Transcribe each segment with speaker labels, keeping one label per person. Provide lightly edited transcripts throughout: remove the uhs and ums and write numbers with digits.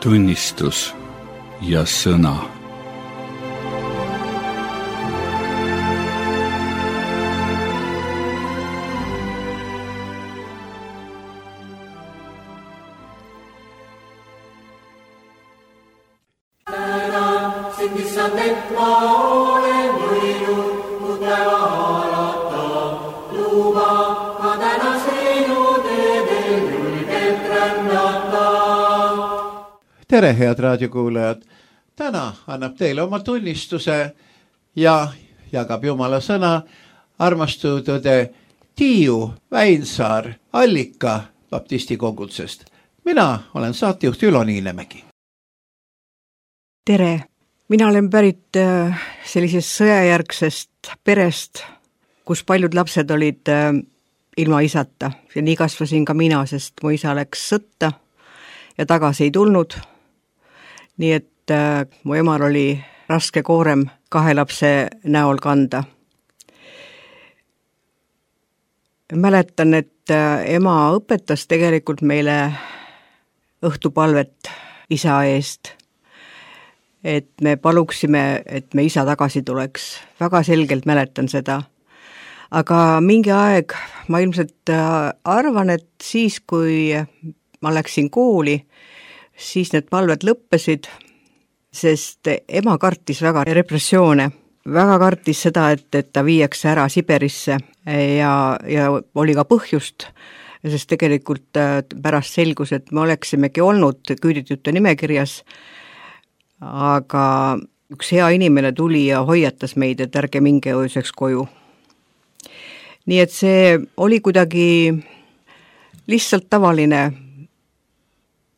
Speaker 1: tunnistus ja sõna.
Speaker 2: Tere, head raadiokuulajad! Täna annab teile oma tunnistuse ja jagab Jumala sõna armastatud õde Tiiu Väinsaar Allika baptisti kongutsest. Mina olen saatejuht Ülo Niinemägi.
Speaker 3: Tere! Mina olen pärit sellisest sõjajärgsest perest, kus paljud lapsed olid ilma isata. Ja nii kasvasin ka mina, sest mu isa läks sõtta ja tagasi ei tulnud. Nii et mu emal oli raske koorem 2 lapse näol kanda. Mäletan, et ema õpetas tegelikult meile õhtupalvet isa eest, et me paluksime, et me isa tagasi tuleks. Väga selgelt mäletan seda. Aga mingi aeg ma ilmselt arvan, et siis, kui ma läksin kooli, siis need palved lõppesid, sest ema kartis väga repressioone. Väga kartis seda, et ta viiakse ära Siberisse ja oli ka põhjust, sest tegelikult pärast selgus, et me oleksimegi olnud küüditute nimekirjas, aga üks hea inimene tuli ja hoiatas meid, et ärge minge ööseks koju. Nii et see oli kuidagi lihtsalt tavaline,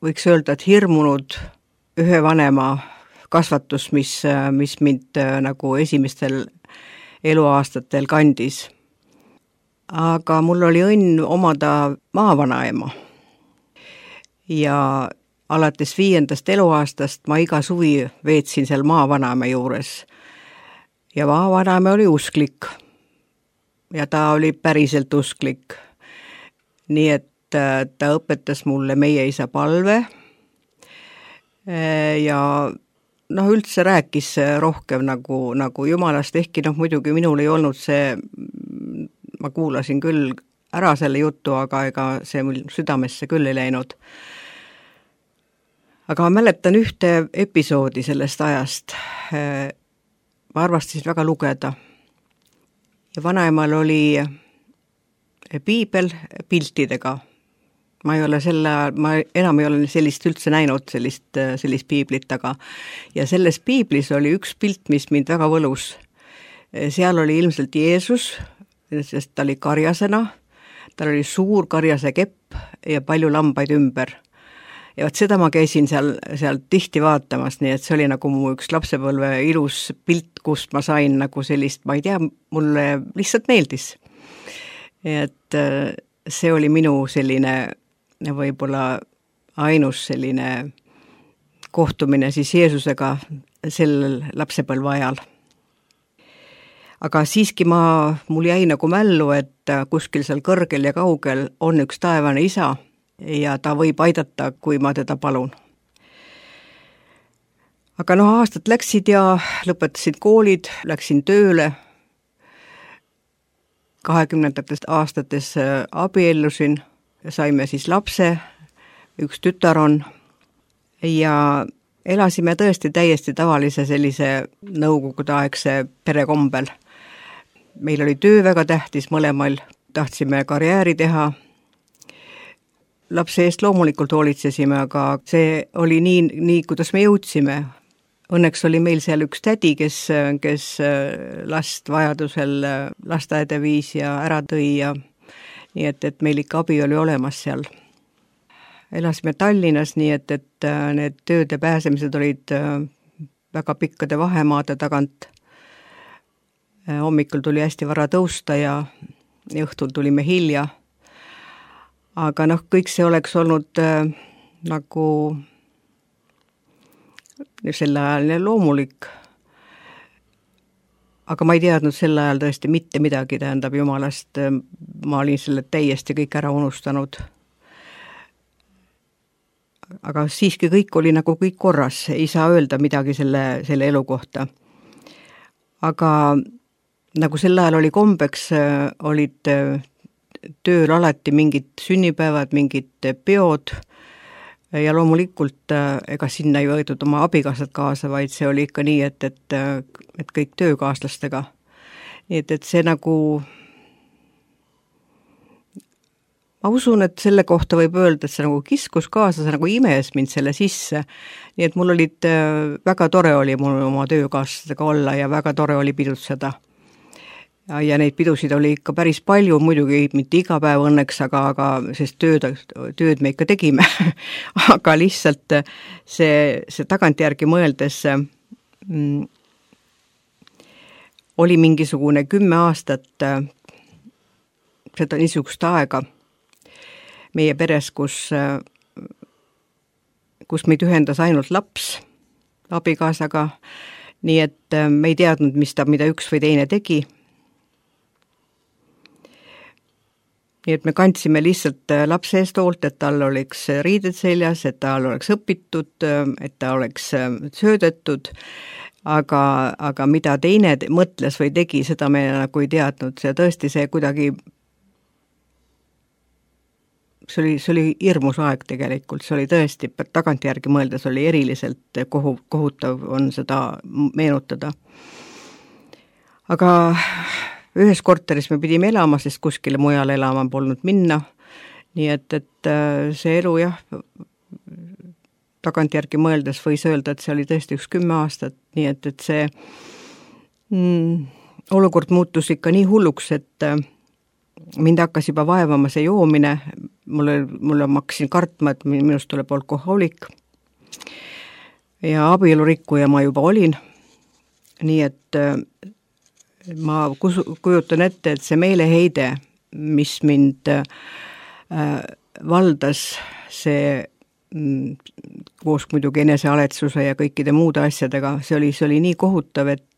Speaker 3: võiks öelda, et hirmunud ühe vanema kasvatus, mis mind nagu esimestel eluaastatel kandis. Aga mul oli õnn omada maavanaema. Ja alates 5. eluaastast ma iga suvi veetsin seal maavanaema juures. Ja maavanaema oli usklik. Ja ta oli päriselt usklik. Nii et ta õpetas mulle meie isa palve ja üldse rääkis rohkem nagu Jumalast, ehkki muidugi minul ei olnud see, ma kuulasin küll ära selle jutu, aga ega see mul südamesse küll ei läinud. Aga ma mäletan ühte episoodi sellest ajast. Ma arvastasin väga lugeda. Ja vanaemal oli piibel piltidega. Ma enam ei ole sellist üldse näinud, sellist piiblit, aga ja selles piiblis oli üks pilt, mis mind väga võlus. Seal oli ilmselt Jeesus, sest ta oli karjasena, tal oli suur karjase kepp ja palju lambaid ümber. Ja seda ma käisin seal tihti vaatamas, nii et see oli nagu mu üks lapsepõlve ilus pilt, kust ma sain nagu sellist, ma ei tea, mulle lihtsalt meeldis. Et see oli minu selline võib-olla ainus selline kohtumine siis Jeesusega sellel lapsepõlve ajal. Aga siiski mul jäi nagu mällu, et kuskil seal kõrgel ja kaugel on üks taevane isa ja ta võib aidata, kui ma teda palun. Aga aastad läksid ja lõpetasid koolid, läksin tööle. 20. aastates abiellusin, saime siis lapse, üks tütar on ja elasime tõesti täiesti tavalise sellise nõukogudeaegse perekombel. Meil oli töö väga tähtis mõlemal, tahtsime karjääri teha. Lapse eest loomulikult hoolitsesime, aga see oli nii, kuidas me jõudsime. Õnneks oli meil seal üks tädi, kes last vajadusel lasteaeda viis ja ära tõi ja nii et meil ikka abi oli olemas seal. Elasime Tallinnas, nii et need tööde pääsemised olid väga pikkade vahemaade tagant. Hommikul tuli hästi vara tõusta ja õhtul tulime hilja. Aga kõik see oleks olnud nagu sel ajal loomulik. Aga ma ei teadnud sel ajal tõesti mitte midagi, tähendab Jumalast. Ma olin selle täiesti kõik ära unustanud. aga siiski kõik oli nagu kõik korras, ei saa öelda midagi selle elu kohta. Aga nagu sel ajal oli kombeks, olid tööl alati mingid sünnipäevad, mingid peod ja loomulikult ega sinna ei võetud oma abikaasad kaasa, vaid see oli ikka nii, et kõik töökaaslastega. Nii et see nagu, ma usun, et selle kohta võib öelda, et see nagu kiskus kaasa, see nagu imes mind selle sisse. Nii et mul olid, väga tore oli mul oma töökaaslastega olla ja väga tore oli pidutseda. Ja neid pidusid oli ikka päris palju, muidugi mitte iga päev õnneks, aga sest tööd me ikka tegime. Aga lihtsalt see tagantjärgi mõeldes oli mingisugune 10 aastat seda niisugust aega meie peres, kus meid ühendas ainult laps abikaasaga, nii et me ei teadnud, mida üks või teine tegi. Nii et me kandsime lihtsalt lapse eest hoolt, et tal oleks riided seljas, et tal oleks õpitud, et ta oleks söödetud, aga mida teine mõtles või tegi, seda me nagu ei teadnud. See tõesti see kuidagi, see oli hirmus aeg tegelikult, see oli tõesti, tagantjärgi mõeldes oli eriliselt kohutav on seda meenutada. Aga ühes korteris me pidime elama, sest kuskile mujale elama polnud minna. Nii et see elu jah, tagantjärgi mõeldes võis öelda, et see oli tõesti üks 10 aastat, nii et see olukord muutus ikka nii hulluks, et mind hakkas juba vaevama see joomine, mulle ma hakkasin kartma, et minust tuleb alkohoolik ja abielurikkuja ma juba olin, nii et ma kujutan ette, et see meeleheide, mis mind valdas, see koos muidugi enesealetsuse ja kõikide muude asjadega, see oli nii kohutav, et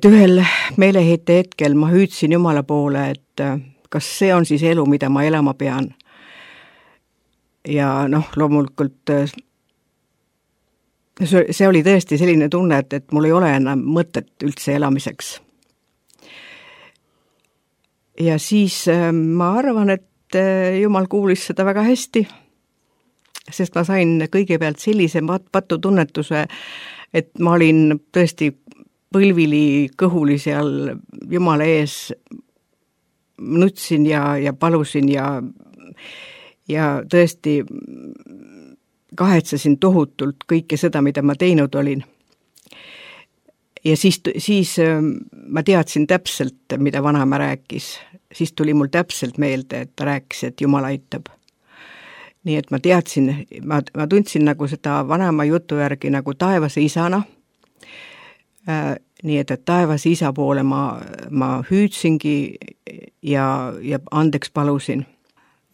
Speaker 3: ühel meeleheite hetkel ma hüüdsin Jumala poole, et kas see on siis elu, mida ma elama pean. Ja loomulikult see oli tõesti selline tunne, et mul ei ole enam mõtet üldse elamiseks. Ja siis ma arvan, et Jumal kuulis seda väga hästi, sest ma sain kõigepealt sellise patutunnetuse, et ma olin tõesti põlvili kõhuli seal Jumala ees, nutsin ja palusin ja tõesti kahetsesin tohutult kõike seda, mida ma teinud olin. Ja siis ma teadsin täpselt, mida vanaema rääkis. Siis tuli mul täpselt meelde, et ta rääkis, et Jumal aitab. Nii et ma teadsin, ma tundsin nagu seda vanaema jutu järgi nagu taevase isana. Nii et taevase isa poole ma hüüdsingi ja andeks palusin.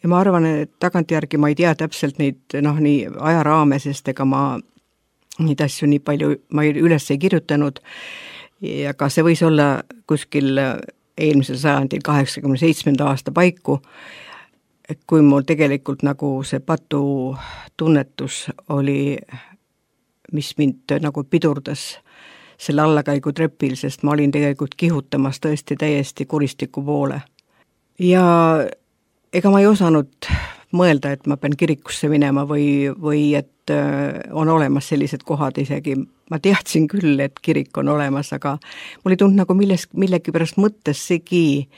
Speaker 3: Ja ma arvan, et tagantjärgi ma ei tea täpselt neid nii ajaraame, sest ega ma neid asju nii palju ma üles ei kirjutanud. Ja ka see võis olla kuskil eelmisel sajandil 87. aasta paiku, kui mul tegelikult nagu see patu tunnetus oli, mis mind nagu pidurdas selle allakäigu trepil, sest ma olin tegelikult kihutamas tõesti täiesti kuristiku poole. Ja ega ma ei osanud mõelda, et ma pean kirikusse minema või et on olemas sellised kohad isegi. Ma teadsin küll, et kirik on olemas, aga mul ei tulnud nagu millegi pärast mõttes segi,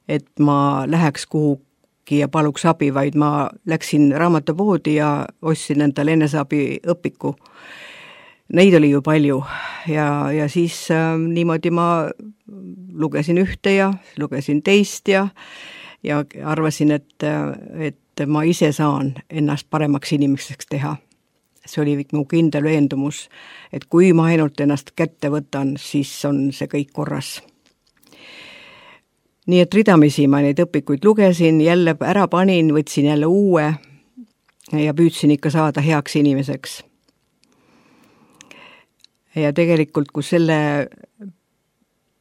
Speaker 3: et ma läheks kuhugi ja paluks abi, vaid ma läksin raamatupoodi ja ostsin endale eneseabi õpiku. Neid oli ju palju ja siis niimoodi ma lugesin ühte ja lugesin teist ja arvasin, et ma ise saan ennast paremaks inimeseks teha. See oli mu kindel veendumus, et kui ma ainult ennast kätte võtan, siis on see kõik korras. Nii et ridamisi ma neid õpikuid lugesin, jälle ära panin, võtsin jälle uue ja püüdsin ikka saada heaks inimeseks. Ja tegelikult, kui selle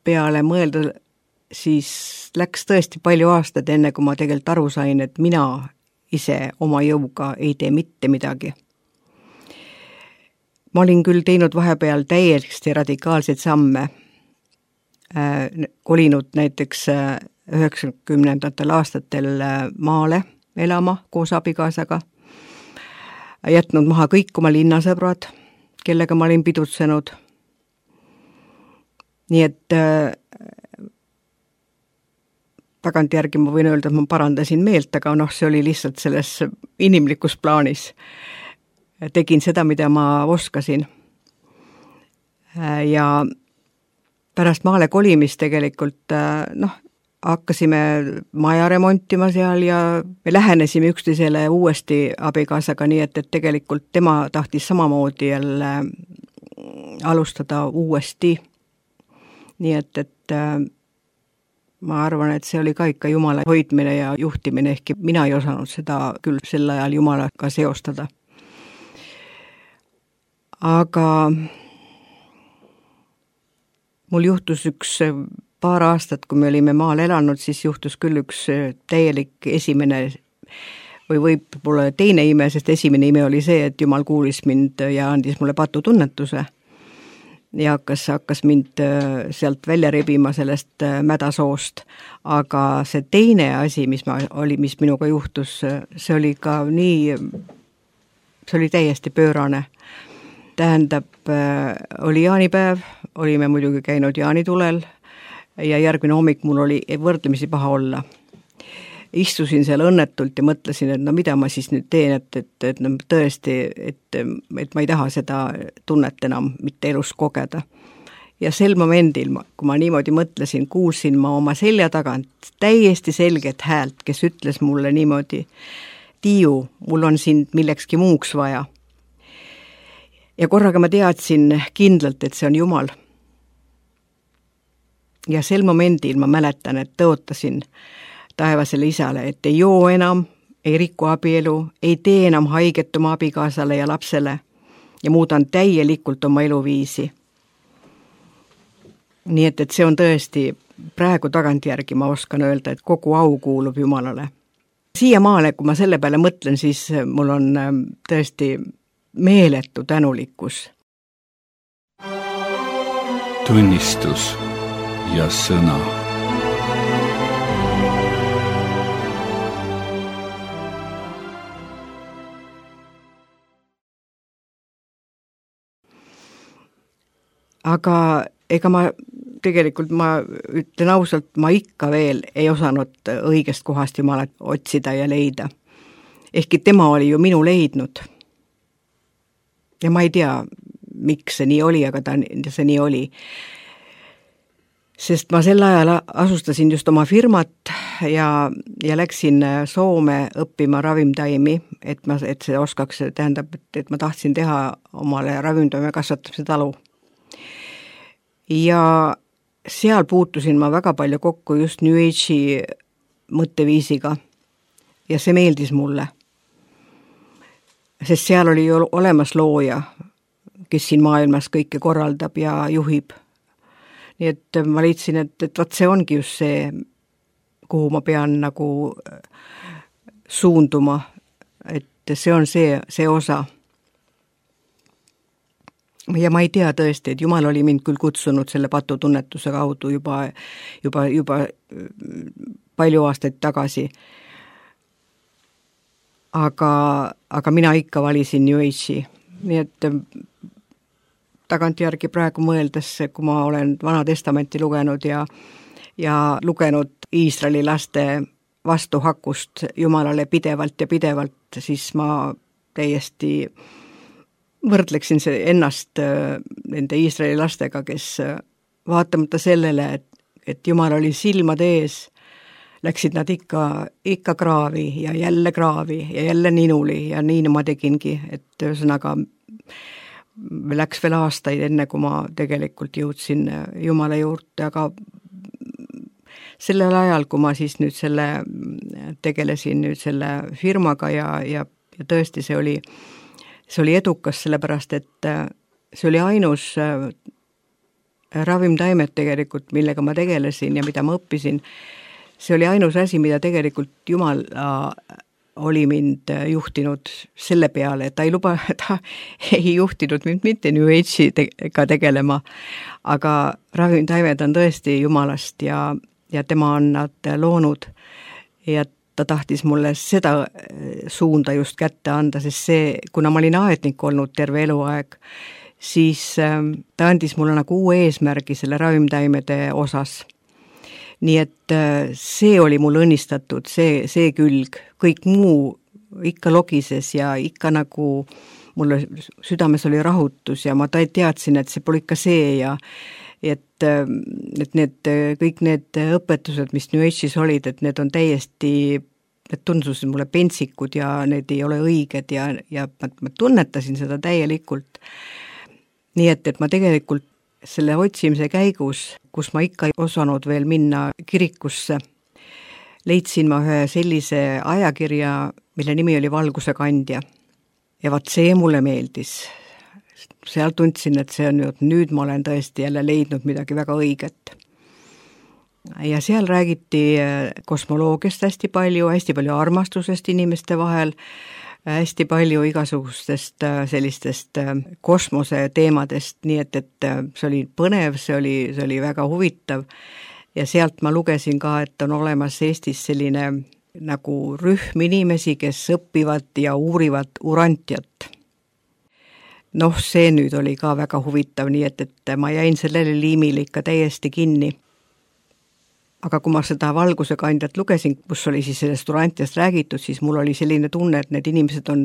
Speaker 3: peale mõelda, siis läks tõesti palju aastad enne, kui ma tegelikult aru sain, et mina ise oma jõuga ei tee mitte midagi. Ma olin küll teinud vahepeal täiesti radikaalseid samme, kolinud näiteks 90. aastatel maale elama koos abikaasaga, jätnud maha kõik oma linnasõbrad, kellega ma olin pidutsenud. Nii et tagantjärgi ma võin öelda, et ma parandasin meelt, aga see oli lihtsalt selles inimlikus plaanis. Tegin seda, mida ma oskasin. Ja pärast maale kolimist tegelikult hakkasime maja remontima seal ja me lähenesime üksteisele uuesti abikaasaga, nii et tegelikult tema tahtis samamoodi jälle alustada uuesti. Nii et ma arvan, et see oli ka ikka Jumala hoidmine ja juhtimine, ehkki mina ei osanud seda küll sel ajal Jumalaga seostada. Aga mul juhtus üks paar aastat, kui me olime maal elanud, siis juhtus küll üks täielik esimene või võib-olla teine ime, sest esimene ime oli see, et Jumal kuulis mind ja andis mulle patutunnetuse ja hakkas mind sealt välja rebima sellest mädasoost. Aga see teine asi, mis minuga juhtus, see oli ka nii, see oli täiesti pöörane. Tähendab, oli jaanipäev, olime muidugi käinud jaanitulel ja järgmine hommik mul oli võrdlemisi paha olla. Istusin seal õnnetult ja mõtlesin, et mida ma siis nüüd teen, et tõesti, et ma ei taha seda tunnet enam mitte elus kogeda. Ja sel momendil, kui ma niimoodi mõtlesin, kuulsin ma oma selja tagant täiesti selget häält, kes ütles mulle niimoodi: Tiiu, mul on sind millekski muuks vaja. Ja korraga ma teadsin kindlalt, et see on Jumal. Ja sel momendil ma mäletan, et tõotasin taevasele isale, et ei joo enam, ei riku abielu, ei tee enam haiget oma abikaasale ja lapsele ja muudan täielikult oma eluviisi. Nii et see on tõesti, praegu tagantjärgi ma oskan öelda, et kogu au kuulub Jumalale. Siiamaale, kui ma selle peale mõtlen, siis mul on tõesti meeletu tänulikkus.
Speaker 1: Tunnistus ja sõna.
Speaker 3: Aga ega ma ütlen ausalt, ma ikka veel ei osanud õigest kohast Jumalat otsida ja leida. Ehkki tema oli ju minu leidnud. Ja ma ei tea, miks see nii oli, aga see nii oli. Sest ma sel ajal asustasin just oma firmat ja läksin Soome õppima ravimtaimi, et see oskaks, tähendab, et ma tahtsin teha omale ravimtaime kasvatamise talu. Ja seal puutusin ma väga palju kokku just New Age'i mõtteviisiga ja see meeldis mulle. Sest seal oli ju olemas looja, kes siin maailmas kõike korraldab ja juhib. Nii et ma leidsin, et see ongi just see, kuhu ma pean nagu suunduma, et see on see osa. Ja ma ei tea tõesti, et Jumal oli mind küll kutsunud selle patutunnetuse kaudu juba palju aastaid tagasi. Aga mina ikka valisin New Age'i. Nii et tagantjärgi praegu mõeldes, kui ma olen Vana Testamenti lugenud ja lugenud Iisraeli laste vastuhakust Jumalale pidevalt ja pidevalt, siis ma täiesti võrdleksin ennast nende Iisraeli lastega, kes vaatamata sellele, et Jumal oli silmade ees, läksid nad ikka kraavi ja jälle ninuli ja nii ma tegingi, et ühesõnaga läks veel aastaid enne, kui ma tegelikult jõudsin Jumala juurde, aga sellel ajal, kui ma siis nüüd tegelesin nüüd selle firmaga ja tõesti see oli edukas, sellepärast et see oli ainus ravimtaimed tegelikult, millega ma tegelesin ja mida ma õppisin. See oli ainus asi, mida tegelikult Jumal oli mind juhtinud selle peale, et ta ei juhtinud mind mitte New Age'iga tegelema, aga ravimtaimed on tõesti Jumalast ja tema on nad loonud ja ta tahtis mulle seda suunda just kätte anda, sest see, kuna ma olin aednik olnud terve eluaeg, siis ta andis mulle nagu uue eesmärgi selle ravimtaimede osas. Nii et see oli mul õnnistatud, see külg, kõik muu ikka logises ja ikka nagu mulle südames oli rahutus ja ma teadsin, et see pole ikka see ja et kõik need õpetused, mis New Age'is olid, et need on täiesti, need tundusid mulle pentsikud ja need ei ole õiged ja ma tunnetasin seda täielikult. Nii et ma tegelikult selle otsimise käigus, kus ma ikka ei osanud veel minna kirikusse, leidsin ma ühe sellise ajakirja, mille nimi oli Valguse kandja. Ja vaat see mulle meeldis. Seal tundsin, et see on nüüd ma olen tõesti jälle leidnud midagi väga õiget. Ja seal räägiti kosmoloogiast hästi palju armastusest inimeste vahel, hästi palju igasugustest sellistest kosmose teemadest, nii et see oli põnev, see oli väga huvitav ja sealt ma lugesin ka, et on olemas Eestis selline nagu rühm inimesi, kes õpivad ja uurivad urantiat. Noh, see nüüd oli ka väga huvitav, nii et ma jäin sellele liimile ikka täiesti kinni. Aga kui ma seda Valguse kandjat lugesin, kus oli siis sellest urantiast räägitud, siis mul oli selline tunne, et need inimesed on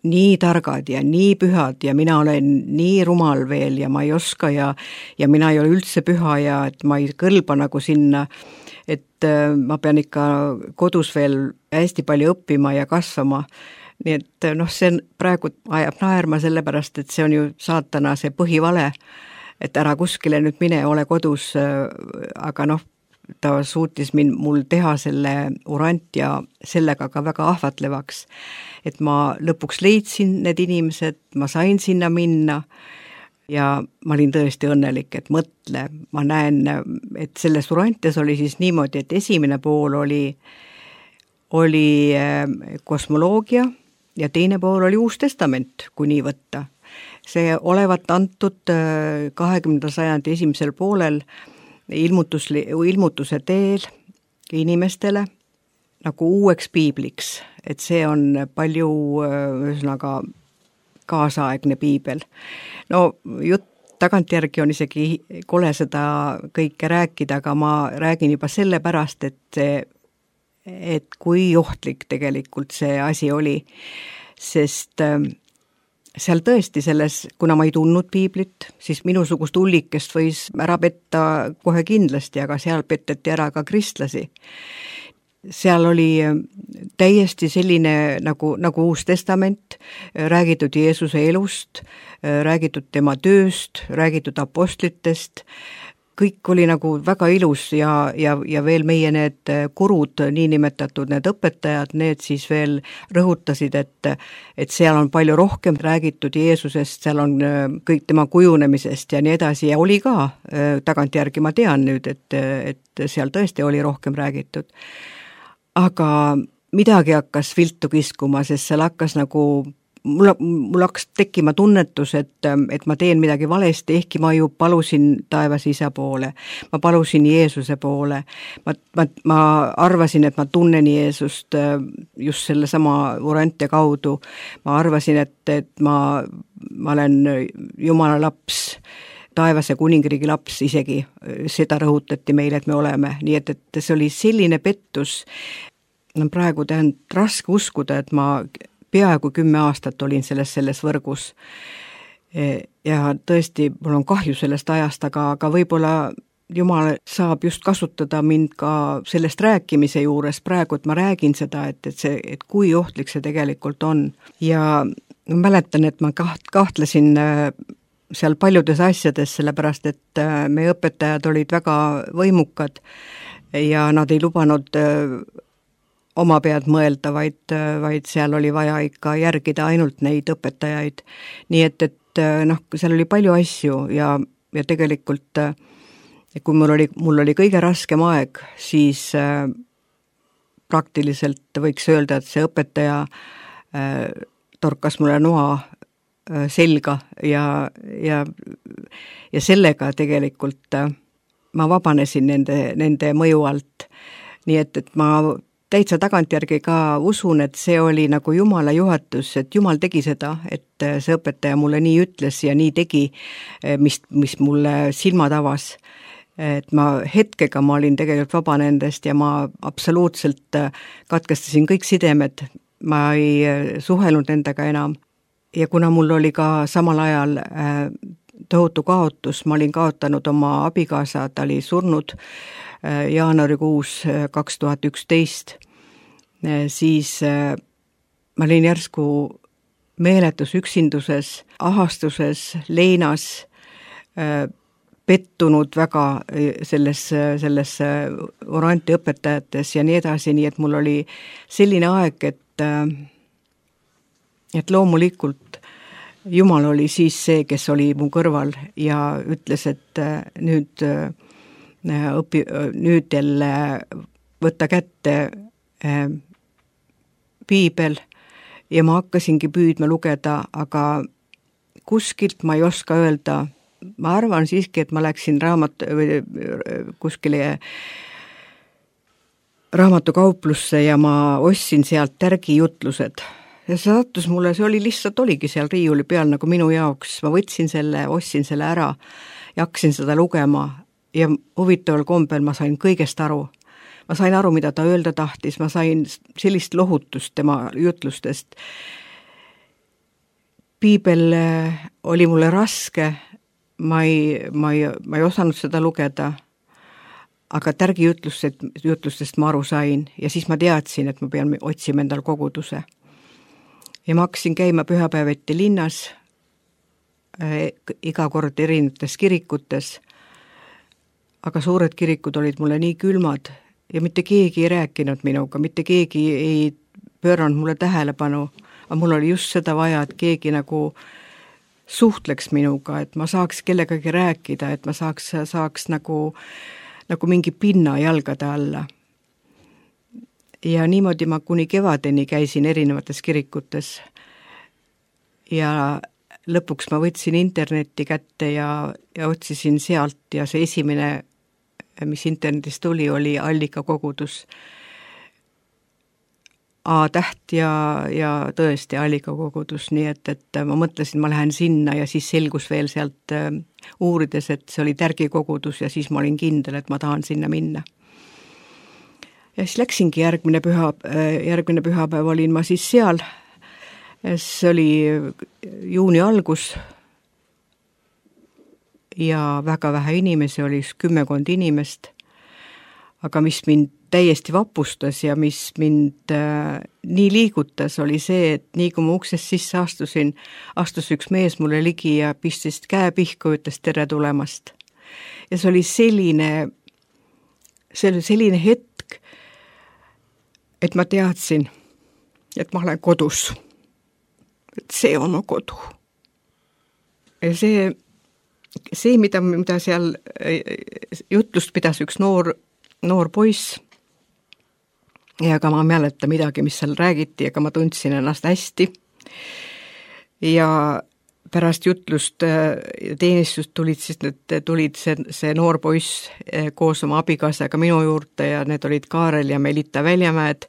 Speaker 3: nii targad ja nii pühad ja mina olen nii rumal veel ja ma ei oska ja mina ei ole üldse püha ja et ma ei kõlba nagu sinna, et ma pean ikka kodus veel hästi palju õppima ja kasvama. Nii et see praegu ajab naerma sellepärast, et see on ju saatana see põhivale, et ära kuskile nüüd mine, ole kodus, aga ta suutis mul teha selle urant ja sellega ka väga ahvatlevaks, et ma lõpuks leidsin need inimesed, ma sain sinna minna ja ma olin tõesti õnnelik, et mõtle, ma näen, et selles urantias oli siis niimoodi, et esimene pool oli kosmoloogia ja teine pool oli Uus Testament, kui nii võtta. See olevat antud 20. sajandi esimesel poolel ilmutuse teel inimestele nagu uueks piibliks, et see on palju ühesõnaga kaasaegne piibel. Jutt tagantjärgi on isegi kole seda kõike rääkida, aga ma räägin juba sellepärast, et kui ohtlik tegelikult see asi oli, sest seal tõesti kuna ma ei tundnud piiblit, siis minusugust ullikest võis ära petta kohe kindlasti, aga seal petteti ära ka kristlasi. Seal oli täiesti selline nagu Uus Testament, räägitud Jeesuse elust, räägitud tema tööst, räägitud apostlitest, kõik oli nagu väga ilus ja veel meie need kurud, niinimetatud need õpetajad, need siis veel rõhutasid, et seal on palju rohkem räägitud Jeesusest, seal on kõik tema kujunemisest ja nii edasi ja oli ka, tagantjärgi ma tean nüüd, et seal tõesti oli rohkem räägitud. Aga midagi hakkas viltu kiskuma, sest seal hakkas nagu mul hakkas tekkima tunnetus, et ma teen midagi valesti, ehkki ma ju palusin taevas isa poole, ma palusin Jeesuse poole, ma arvasin, et ma tunnen Jeesust just selle sama urantia kaudu, ma arvasin, et ma olen Jumala laps, taevase kuningriigi laps isegi, seda rõhutati meile, et me oleme, nii et see oli selline pettus, praegu on raske uskuda, et ma peaaegu 10 aastat olin selles võrgus ja tõesti, mul on kahju sellest ajast, aga võib-olla Jumal saab just kasutada mind ka sellest rääkimise juures praegu, et ma räägin seda, et kui ohtlik see tegelikult on. Ja ma mäletan, et ma kahtlesin seal paljudes asjades, sellepärast et meie õpetajad olid väga võimukad ja nad ei lubanud oma pead mõelda, vaid seal oli vaja ikka järgida ainult neid õpetajaid. Nii et seal oli palju asju ja tegelikult kui mul oli kõige raskem aeg, siis praktiliselt võiks öelda, et see õpetaja torkas mulle noa selga ja sellega tegelikult ma vabanesin nende mõju alt. Nii et ma täitsa tagantjärgi ka usun, et see oli nagu Jumala juhatus, et Jumal tegi seda, et see õpetaja mulle nii ütles ja nii tegi, mis mulle silmad avas. Et hetkega ma olin tegelikult vaba nendest ja ma absoluutselt katkestasin kõik sidemed, ma ei suhelnud nendega enam. Ja kuna mul oli ka samal ajal tohutu kaotus, ma olin kaotanud oma abikaasa, ta oli surnud jaanuarikuus 2011, siis ma olin järsku meeletus üksinduses, ahastuses, leinas, pettunud väga selles oranti õpetajates ja nii edasi, nii et mul oli selline aeg, et loomulikult Jumal oli siis see, kes oli mu kõrval ja ütles, et nüüd jälle võtta kätte piibel ja ma hakkasingi püüdma lugeda, aga kuskilt ma ei oska öelda. Ma arvan siiski, et ma läksin kuskile raamatukauplusse ja ma ostsin sealt tärgijutlused. Ja see sattus mulle, see oligi seal riiuli peal nagu minu jaoks. Ma võtsin selle, ostsin selle ära ja hakkasin seda lugema ja huvitaval kombel ma sain kõigest aru. Ma sain aru, mida ta öelda tahtis, ma sain sellist lohutust tema jutlustest. Piibel oli mulle raske, ma ei osanud seda lugeda, aga tärgijutlustest ma aru sain ja siis ma teadsin, et ma pean otsima endal koguduse. Ja ma hakkasin käima pühapäeviti linnas, iga kord erinevates kirikutes, aga suured kirikud olid mulle nii külmad ja mitte keegi ei rääkinud minuga, mitte keegi ei pööranud mulle tähelepanu, aga mul oli just seda vaja, et keegi nagu suhtleks minuga, et ma saaks kellegagi rääkida, et ma saaks nagu mingi pinna jalgade alla. Ja niimoodi ma kuni kevadeni käisin erinevates kirikutes ja lõpuks ma võtsin internetti kätte ja otsisin sealt ja see esimene, mis internetist tuli, oli Allika kogudus. A-täht ja tõesti Allika kogudus, nii et ma mõtlesin, ma lähen sinna ja siis selgus veel sealt uurides, et see oli Tärgi kogudus ja siis ma olin kindel, et ma tahan sinna minna. Ja siis läksingi järgmine pühapäev olin ma siis seal, see oli juuni algus ja väga vähe inimesi, oli 10 inimest, aga mis mind täiesti vapustas ja mis mind nii liigutas, oli see, et nii kui ma uksest sisse astus üks mees mulle ligi ja pistis käe pihku, ütles tere tulemast. Ja see oli selline hetk, et ma teadsin, et ma olen kodus. Et see on mu kodu. Ja see mida seal jutlust pidas üks noor poiss, ja ega ma ei mäleta midagi, mis seal räägiti, ega ma tundsin ennast hästi. Ja pärast jutlust teenistust tulid see noor poiss koos oma abikaasaga minu juurde ja need olid Kaarel ja Melita Väljamäed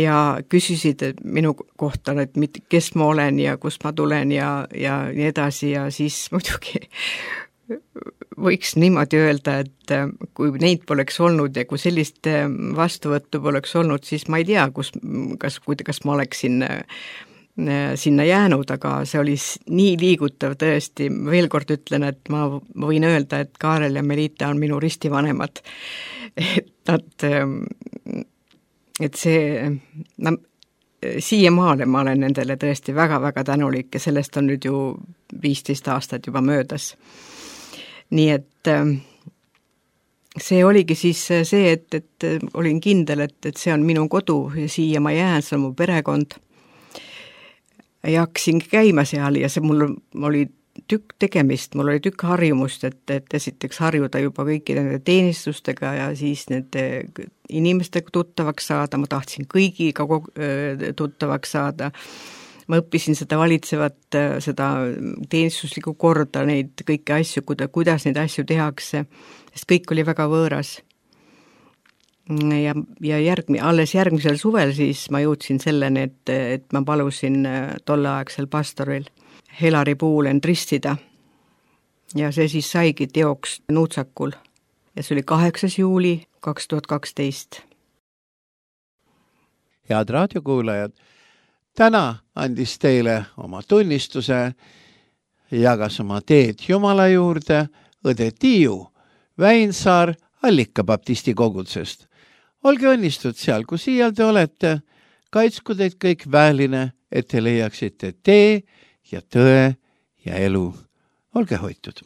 Speaker 3: ja küsisid minu kohta, et kes ma olen ja kust ma tulen ja nii edasi ja siis muidugi võiks niimoodi öelda, et kui neid poleks olnud ja kui sellist vastuvõttu poleks olnud, siis ma ei tea, kas ma oleksin sinna jäänud, aga see oli nii liigutav tõesti. Veel kord ütlen, et ma võin öelda, et Kaarel ja Melita on minu ristivanemad. Et siiamaale ma olen nendele tõesti väga-väga tänulik ja sellest on nüüd ju 15 aastat juba möödas. Nii et see oligi siis see, et olin kindel, et see on minu kodu ja siia ma jään, see on mu perekond. Ja hakkasin käima seal ja see mul oli tükk tegemist, mul oli tükk harjumust, et esiteks harjuda juba kõikide nende teenistustega ja siis nende inimestega tuttavaks saada, ma tahtsin kõigiga tuttavaks saada, ma õppisin seda valitsevat, seda teenistuslikku korda, neid kõiki asju, kuidas neid asju tehakse, sest kõik oli väga võõras. Ja alles järgmisel suvel siis ma jõudsin selleni, et ma palusin tolleaegsel pastoril Helari Puulen ristida. Ja see siis saigi teoks Nuutsakul. Ja see oli 8. juuli 2012.
Speaker 2: Head raadiokuulajad, täna andis teile oma tunnistuse, jagas oma teed Jumala juurde õde Tiiu Väinsaar Allika baptisti kogudsest. Olge õnnistud seal, kus iial te olete, kaitsku teid kõik väeline, et te leiaksite tee ja tõe ja elu. Olge hoitud.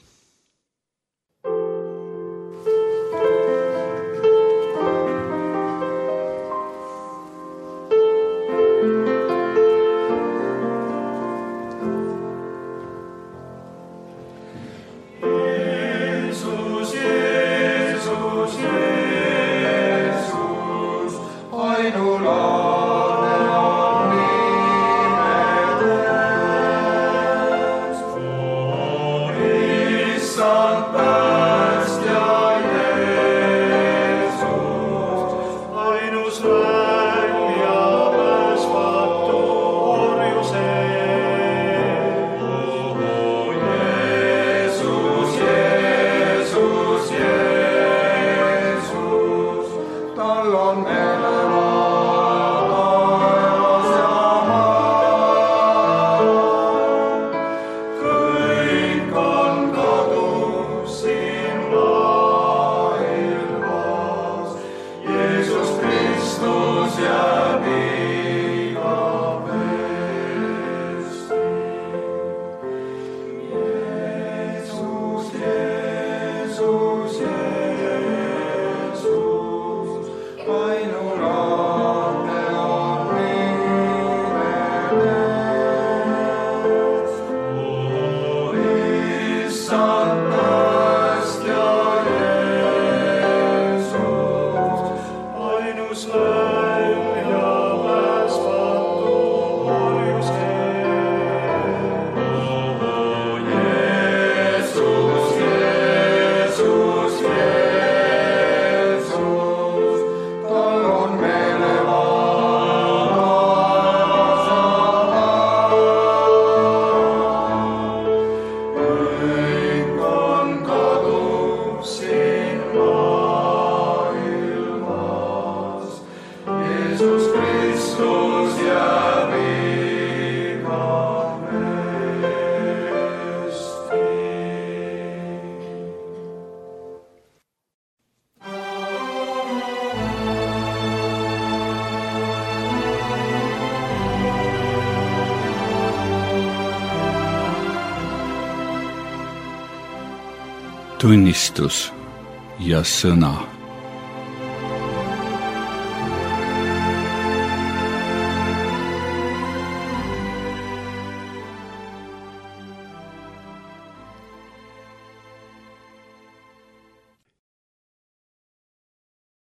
Speaker 1: Tunnistus ja sõna.